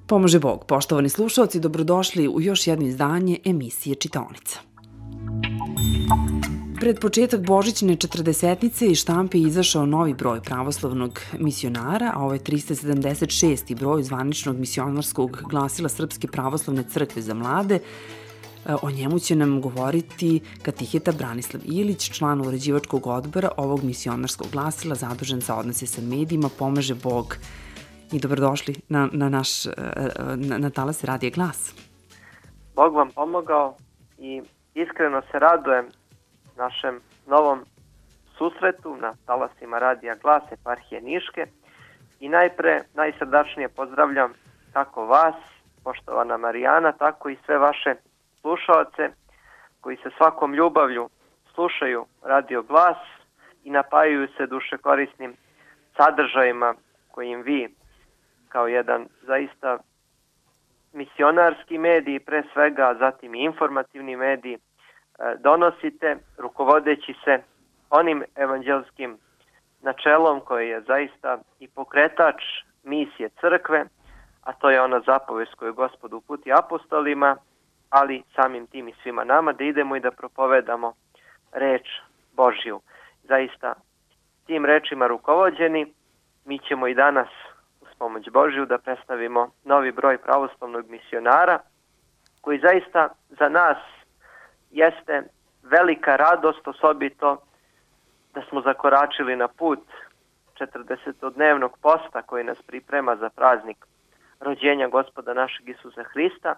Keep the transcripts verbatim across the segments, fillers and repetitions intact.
Pomože Bog, poštovani slušalci, dobrodošli u još jedno izdanje emisije Čitaonica. Pred početak božićne četrdesetnice iz štampe je izašao novi broj pravoslavnog misionara, a ovo je trista sedamdeset šesti broj zvaničnog misionarskog glasila Srpske pravoslavne crkve za mlade. O njemu će nam govoriti katiheta Branislav Ilić, član uređivačkog odbora ovog misionarskog glasila, zadužen za odnose sa medijima. Pomaže Bog i dobrodošli na, na naš na, na talas Radija Glas. Bog vam pomogao i iskreno se radujem našem novom susretu na talasima Radija Glas eparhije Niške i najpre najsrdačnije pozdravljam kako vas, poštovana Marijana, tako i sve vaše slušaoce koji se svakom ljubavlju slušaju Radio Glas i napajaju se dušekorisnim sadržajima kojim vi kao jedan zaista misionarski medij, pre svega, zatim i informativni medij, donosite, rukovodeći se onim evanđelskim načelom koji je zaista i pokretač misije crkve, a to je ona zapovest koju Gospod uputi apostolima, ali samim tim i svima nama, da idemo i da propovedamo reč Božju. Zaista tim rečima rukovođeni, mi ćemo i danas uz pomoć Božju da predstavimo novi broj pravoslavnog misionara, koji zaista za nas jeste velika radost, osobito da smo zakoračili na put četrdesetodnevnog posta koji nas priprema za praznik rođenja Gospoda našeg Isusa Hrista.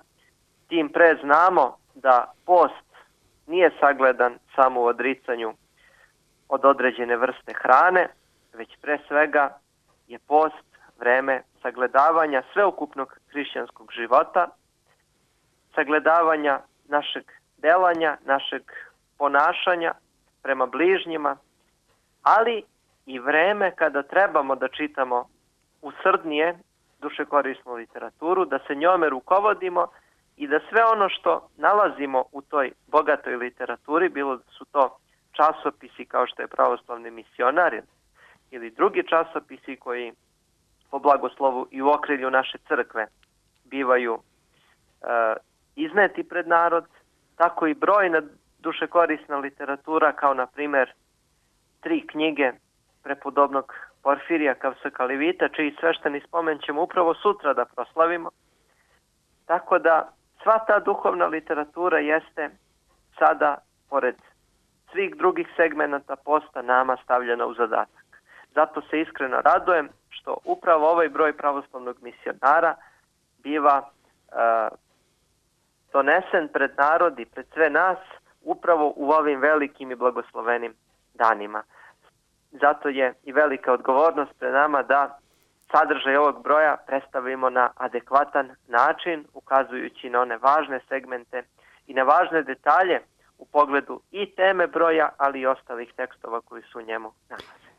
Tim pre znamo da post nije sagledan samo u odricanju od određene vrste hrane, već pre svega je post vreme sagledavanja sveukupnog hrišćanskog života, sagledavanja našeg delanja, našeg ponašanja prema bližnjima, ali i vreme kada trebamo da čitamo usrdnije dušekorisnu literaturu, da se njome rukovodimo i da sve ono što nalazimo u toj bogatoj literaturi, bilo da su to časopisi kao što je Pravoslavni misionar ili drugi časopisi koji po blagoslovu i u okrilju naše crkve bivaju e, izneti pred narod, tako i brojna dušekorisna literatura kao na primjer tri knjige prepodobnog Porfirija Kavsakalivita, čiji svešteni spomen ćemo upravo sutra da proslavimo. Tako da sva ta duhovna literatura jeste sada, pored svih drugih segmenata posta, nama stavljena u zadatak. Zato se iskreno radujem što upravo ovaj broj pravoslavnog misionara biva uh, donesen pred narod i pred sve nas upravo u ovim velikim i blagoslovenim danima. Zato je i velika odgovornost pred nama da sadržaj ovog broja predstavimo na adekvatan način, ukazujući na one važne segmente i na važne detalje u pogledu i teme broja, ali i ostalih tekstova koji su u njemu nalaze.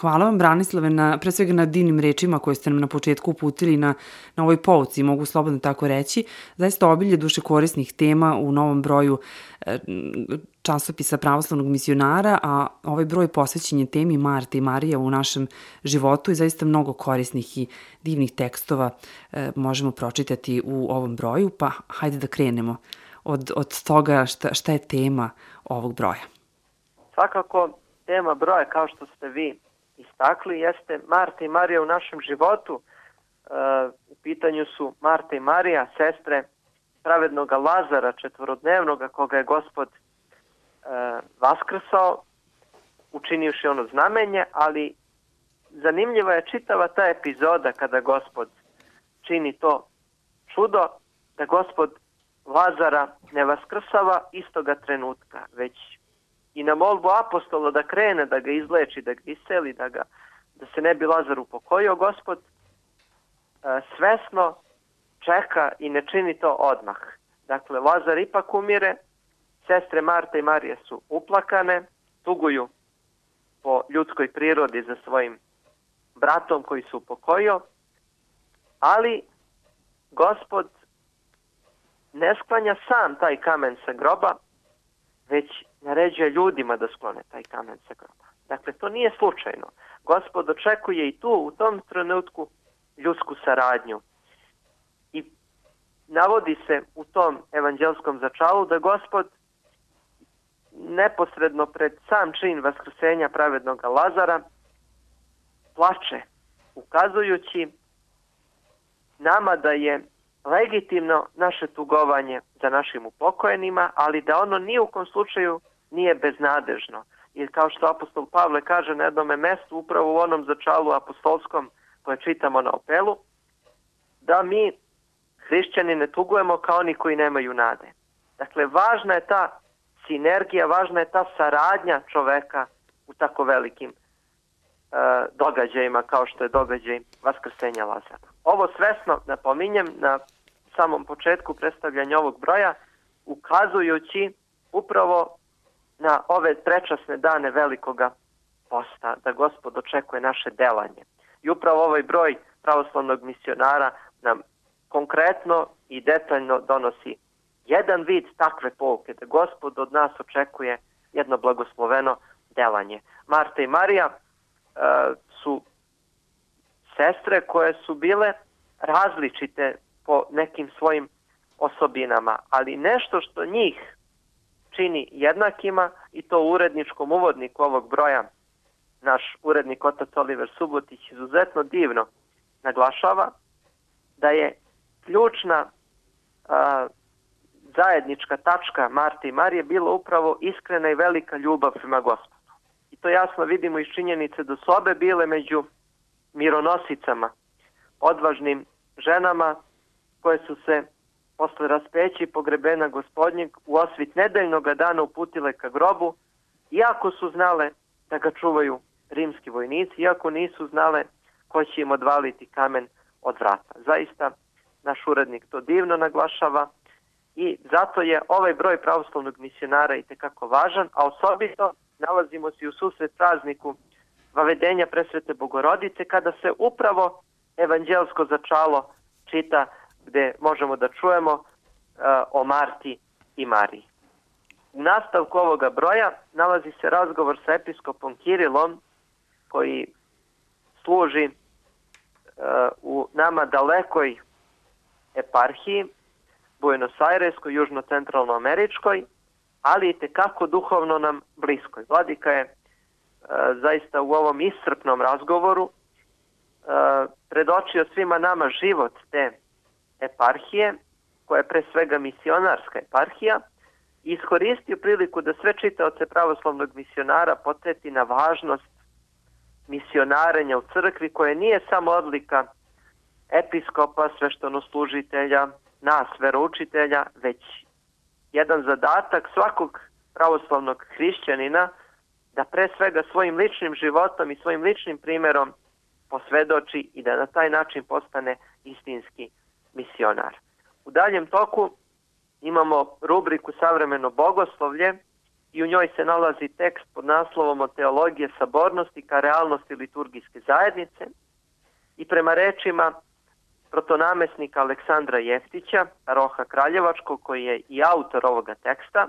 Hvala vam, Branislave, na, pre svega na divnim rečima koje ste nam na početku uputili na, na ovoj pouci, mogu slobodno tako reći. Zaista obilje dušekorisnih tema u novom broju e, časopisa Pravoslavnog misionara, a ovaj broj posvećen je temi Marta i Marija u našem životu i zaista mnogo korisnih i divnih tekstova e, možemo pročitati u ovom broju, pa hajde da krenemo od, od toga šta, šta je tema ovog broja. Svakako, tema broja, kao što ste vi istakli, jeste Marta i Marija u našem životu. E, u pitanju su Marta i Marija, sestre pravednog Lazara četvorodnevnoga, koga je Gospod e, vaskrsao, učinivši ono znamenje, ali zanimljiva je čitava ta epizoda kada Gospod čini to čudo, da Gospod Lazara ne vaskrsava istoga trenutka, već i na molbu apostola da krene, da ga izleči, da ga iseli, da, ga, da se ne bi Lazar upokojio, Gospod e, svesno čeka i ne čini to odmah. Dakle, Lazar ipak umire, sestre Marta i Marija su uplakane, tuguju po ljudskoj prirodi za svojim bratom koji su upokojio, ali Gospod ne sklanja sam taj kamen sa groba, već naređuje ljudima da sklone taj kamen sa groba. Dakle, to nije slučajno. Gospod očekuje i tu, u tom trenutku, ljudsku saradnju. I navodi se u tom evanđelskom začalu da Gospod neposredno pred sam čin vaskrsenja pravednog Lazara plače, ukazujući nama da je legitimno naše tugovanje za našim upokojenima, ali da ono ni u kom slučaju nije beznadežno. I kao što apostol Pavle kaže na jednome mestu, upravo u onom začalu apostolskom koje čitamo na Opelu, da mi, hrišćani, ne tugujemo kao oni koji nemaju nade. Dakle, važna je ta sinergija, važna je ta saradnja čoveka u tako velikim e, događajima kao što je događaj vaskrsenja Lazara. Ovo svesno napominjem na samom početku predstavljanja ovog broja, ukazujući upravo na ove prečasne dane velikoga posta, da Gospod očekuje naše delanje. I upravo ovaj broj pravoslavnog misionara nam konkretno i detaljno donosi jedan vid takve pouke, da Gospod od nas očekuje jedno blagosloveno delanje. Marta i Marija e, su sestre koje su bile različite po nekim svojim osobinama, ali nešto što njih čini jednakima, i to u uredničkom uvodniku ovog broja naš urednik otac Oliver Subotić izuzetno divno naglašava, da je ključna a, zajednička tačka Marte i Marije bila upravo iskrena i velika ljubav prema Gospodu. I to jasno vidimo iz činjenice da su obe bile među mironosicama, odvažnim ženama koje su se posle raspeća i pogrebena Gospodnjeg u osvit nedeljnog dana uputile ka grobu, iako su znale da ga čuvaju rimski vojnici, iako nisu znale ko će im odvaliti kamen od vrata. Zaista, naš urednik to divno naglašava i zato je ovaj broj pravoslavnog misionara itekako važan, a osobito nalazimo se u susret prazniku Vavedenja Presvete Bogorodice, kada se upravo evanđelsko začalo čita, gde možemo da čujemo uh, o Marti i Mariji. U nastavku ovoga broja nalazi se razgovor sa episkopom Kirilom, koji služi uh, u nama dalekoj eparhiji, Buenos Aireskoj, južno-centralnoameričkoj, ali i tekako duhovno nam bliskoj. Vladika je uh, zaista u ovom iscrpnom razgovoru uh, predočio svima nama život te eparhije, koja je pre svega misionarska eparhija, i iskoristio priliku da sve čitaoce pravoslavnog misionara podsjeti na važnost misionarenja u crkvi, koje nije samo odlika episkopa, sveštenoslužitelja, nas, veroučitelja, već jedan zadatak svakog pravoslavnog hrišćanina da pre svega svojim ličnim životom i svojim ličnim primjerom posvedoči i da na taj način postane istinski misionar. U daljem toku imamo rubriku Savremeno bogoslovlje i u njoj se nalazi tekst pod naslovom Od teologije sabornosti ka realnosti liturgijske zajednice, i prema rečima protonamesnika Aleksandra Jeftića, paroha Kraljevačkog, koji je i autor ovoga teksta,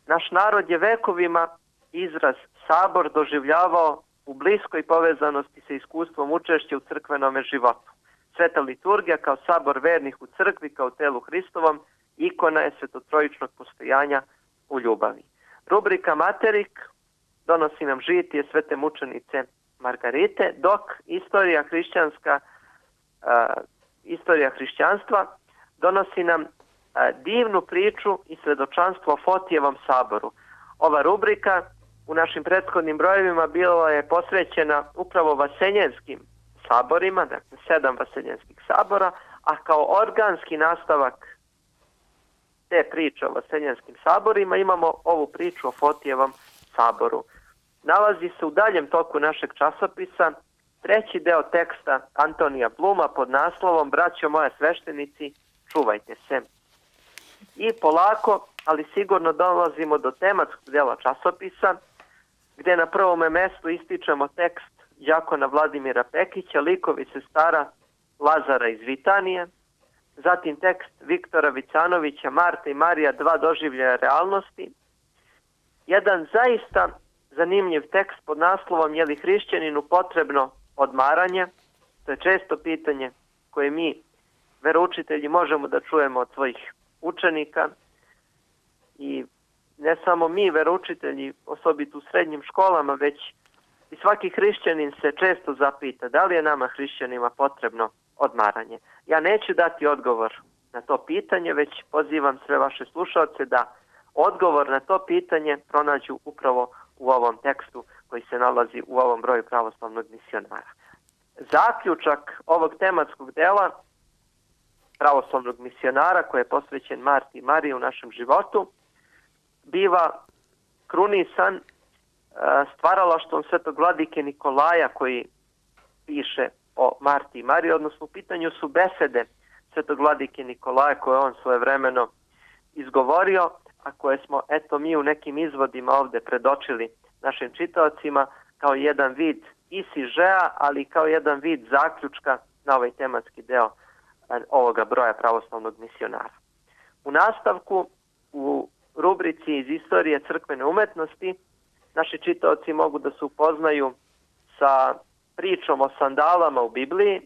naš narod je vekovima izraz sabor doživljavao u bliskoj povezanosti sa iskustvom učešća u crkvenome životu. Sveta liturgija kao sabor vernih u crkvi, kao telu Hristovom, ikona je svetotrojičnog postojanja u ljubavi. Rubrika Materik donosi nam žitije svete mučenice Margarite, dok istorija hrišćanska, uh, istorija hrišćanstva donosi nam uh, divnu priču i svedočanstvo o Fotijevom saboru. Ova rubrika u našim prethodnim brojevima bila je posvećena upravo vaseljenskim saborima, dakle sedam vaseljenskih sabora, a kao organski nastavak te priče o vaseljenskim saborima imamo ovu priču o Fotijevom saboru. Nalazi se u daljem toku našeg časopisa treći deo teksta Antonija Bluma pod naslovom Braćo moje sveštenici, čuvajte se. I polako, ali sigurno dolazimo do tematskog dela časopisa, gde na prvome mestu ističemo tekst đakona Vladimira Pekića, likovi sestara Lazara iz Vitanije, zatim tekst Viktora Vicanovića, Marta i Marija, dva doživljaja realnosti, jedan zaista zanimljiv tekst pod naslovom Je li hrišćaninu potrebno odmaranje? To je često pitanje koje mi, veroučitelji, možemo da čujemo od svojih učenika. I ne samo mi, veroučitelji, osobito u srednjim školama, već i svaki hrišćanin se često zapita da li je nama hrišćanima potrebno odmaranje. Ja neću dati odgovor na to pitanje, već pozivam sve vaše slušalce da odgovor na to pitanje pronađu upravo u ovom tekstu koji se nalazi u ovom broju pravoslavnog misionara. Zaključak ovog tematskog dela pravoslavnog misionara koji je posvećen Marti i Mariji u našem životu biva krunisan stvaralaštvom svetog vladike Nikolaja koji piše o Marti i Mariji, odnosno u pitanju su besede svetog vladike Nikolaja koje on svojevremeno izgovorio, a koje smo eto mi u nekim izvodima ovde predočili našim čitaocima kao jedan vid isižeja, ali kao jedan vid zaključka na ovaj tematski deo ovoga broja pravoslavnog misionara. U nastavku, u rubrici iz istorije crkvene umetnosti, naši čitaoci mogu da se upoznaju sa pričom o sandalama u Bibliji.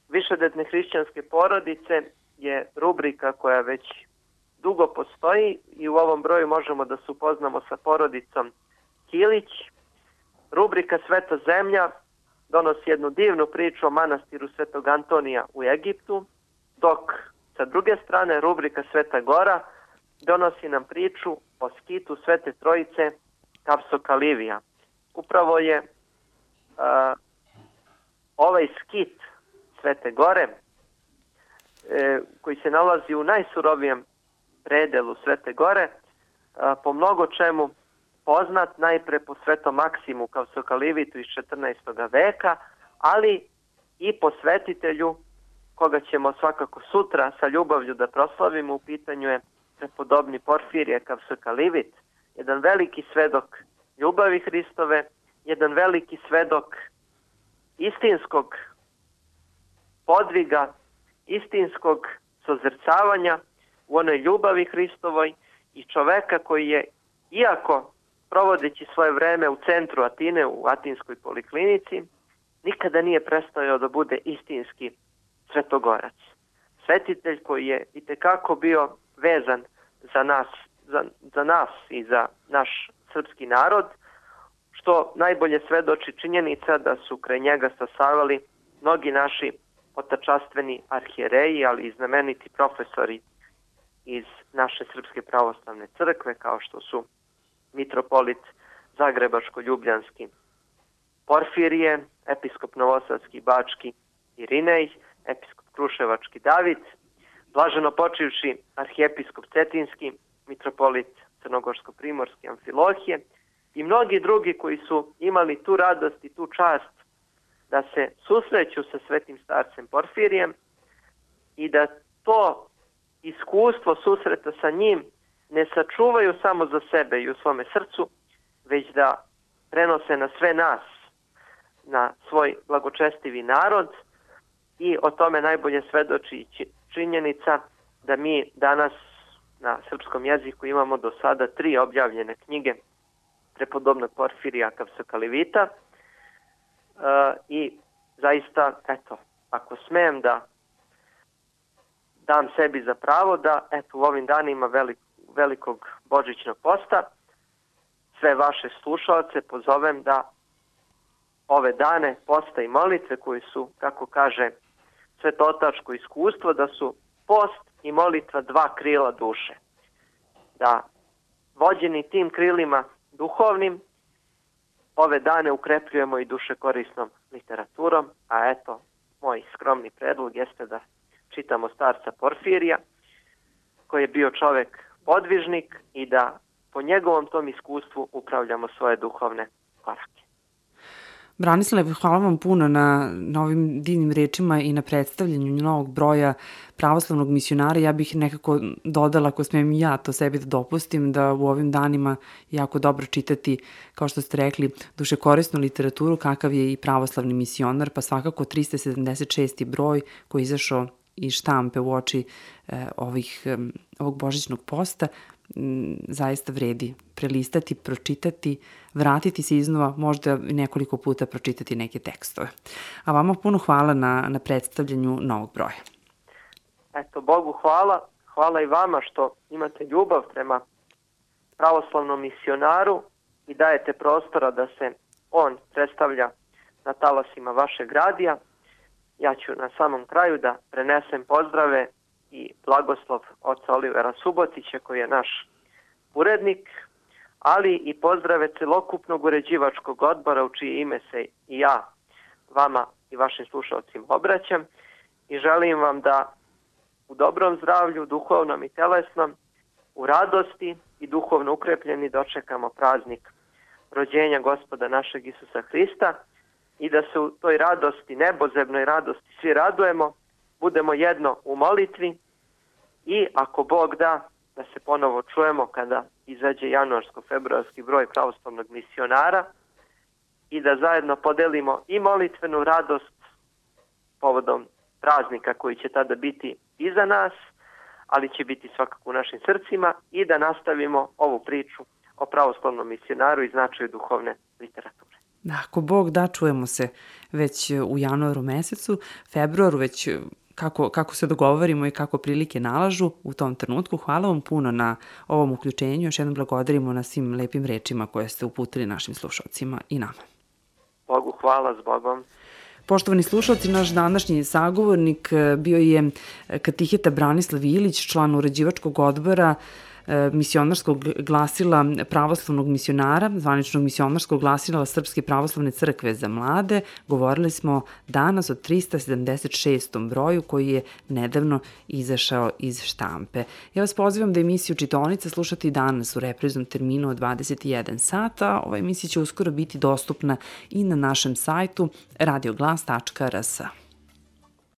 Višedetne hrišćanske porodice je rubrika koja već dugo postoji i u ovom broju možemo da se upoznamo sa porodicom Kilić. Rubrika Sveta zemlja donosi jednu divnu priču o manastiru Svetog Antonija u Egiptu, dok sa druge strane rubrika Sveta Gora donosi nam priču o skitu Svete Trojice Kapsokalivija. Upravo je uh, ovaj skit Svete Gore, e, koji se nalazi u najsurovijem predelu Svete Gore, uh, po mnogo čemu poznat najpre po Svetom Maksimu Kapsokalivitu iz četrnaestog veka, ali i po svetitelju koga ćemo svakako sutra sa ljubavlju da proslavimo. U pitanju je prepodobni Porfirije Kapsokalivit, jedan veliki svedok ljubavi Hristove, jedan veliki svedok istinskog podviga, istinskog sozrcavanja u onoj ljubavi Hristovoj i čoveka koji je, iako provodeći svoje vreme u centru Atine, u Atinskoj poliklinici, nikada nije prestao da bude istinski svetogorac. Svetitelj koji je itekako bio vezan za nas, za, za nas i za naš srpski narod, što najbolje svedoči činjenica da su kraj njega stasavali mnogi naši otačastveni arhijereji, ali i znameniti profesori iz naše Srpske pravoslavne crkve, kao što su mitropolit Zagrebačko-Ljubljanski Porfirije, episkop Novosadski Bački Irinej, episkop Kruševački David, blaženo počivši arhijepiskop Cetinski, mitropolit Crnogorsko-Primorski Amfilohije i mnogi drugi koji su imali tu radost i tu čast da se susreću sa svetim starcem Porfirijem i da to iskustvo susreta sa njim ne sačuvaju samo za sebe i u svome srcu, već da prenose na sve nas, na svoj blagočestivi narod, i o tome najbolje svedoči činjenica da mi danas na srpskom jeziku imamo do sada tri objavljene knjige prepodobnog Porfirija Kapsokalivita. Uh, i zaista, eto, ako smem da dam sebi za pravo da, eto, u ovim danima velik, velikog božićnog posta sve vaše slušalce pozovem da ove dane posta i molitve koji su, kako kaže svetotačko iskustvo, da su post i molitva dva krila duše. Da vođeni tim krilima duhovnim ove dane ukrepljujemo i duše korisnom literaturom, a eto, moj skromni predlog jeste da čitamo starca Porfirija, koji je bio čovek podvižnik, i da po njegovom tom iskustvu upravljamo svoje duhovne korake. Branislave, hvala vam puno na, na ovim divnim rečima i na predstavljanju novog broja pravoslavnog misionara. Ja bih nekako dodala, ako smijem ja to sebi da dopustim, da u ovim danima jako dobro čitati, kao što ste rekli, dušekorisnu literaturu, kakav je i pravoslavni misionar, pa svakako trista sedamdeset šesti broj koji je izašao iz štampe u oči eh, ovih, eh, ovog božićnog posta. zaista vredi prelistati, pročitati, vratiti se iznova, možda nekoliko puta pročitati neke tekstove. A vama puno hvala na, na predstavljanju novog broja. Eto, Bogu hvala. Hvala i vama što imate ljubav prema pravoslavnom misionaru i dajete prostora da se on predstavlja na talasima vašeg radija. Ja ću na samom kraju da prenesem pozdrave i blagoslov oca Olivera Subotića, koji je naš urednik, ali i pozdrave celokupnog uređivačkog odbora u čije ime se i ja vama i vašim slušalcima obraćam i želim vam da u dobrom zdravlju, duhovnom i telesnom, u radosti i duhovno ukrepljeni dočekamo praznik rođenja Gospoda našeg Isusa Hrista i da se u toj radosti, nebozebnoj radosti svi radujemo, budemo jedno u molitvi i ako Bog da, da se ponovo čujemo kada izađe januarsko-februarski broj pravoslavnog misionara i da zajedno podelimo i molitvenu radost povodom praznika koji će tada biti iza nas, ali će biti svakako u našim srcima i da nastavimo ovu priču o pravoslavnom misionaru i značaju duhovne literature. Ako Bog da, čujemo se već u januaru mesecu, februaru već kako, kako se dogovorimo i kako prilike nalažu u tom trenutku. Hvala vam puno na ovom uključenju. Još jednom blagodarimo na svim lepim rečima koje ste uputili našim slušalcima i nama. Bogu hvala, s Bogom. Poštovani slušalci, naš današnji sagovornik bio je katiheta Branislav Ilić, član uređivačkog odbora misionarskog glasila pravoslavnog misionara, zvaničnog misionarskog glasila Srpske pravoslavne crkve za mlade. Govorili smo danas o trista sedamdeset šestom broju koji je nedavno izašao iz štampe. Ja vas pozivam da emisiju Čitaonica slušate i danas u repriznom terminu od dvadeset jedan sata. Ova emisija će uskoro biti dostupna i na našem sajtu radioglas tačka r s.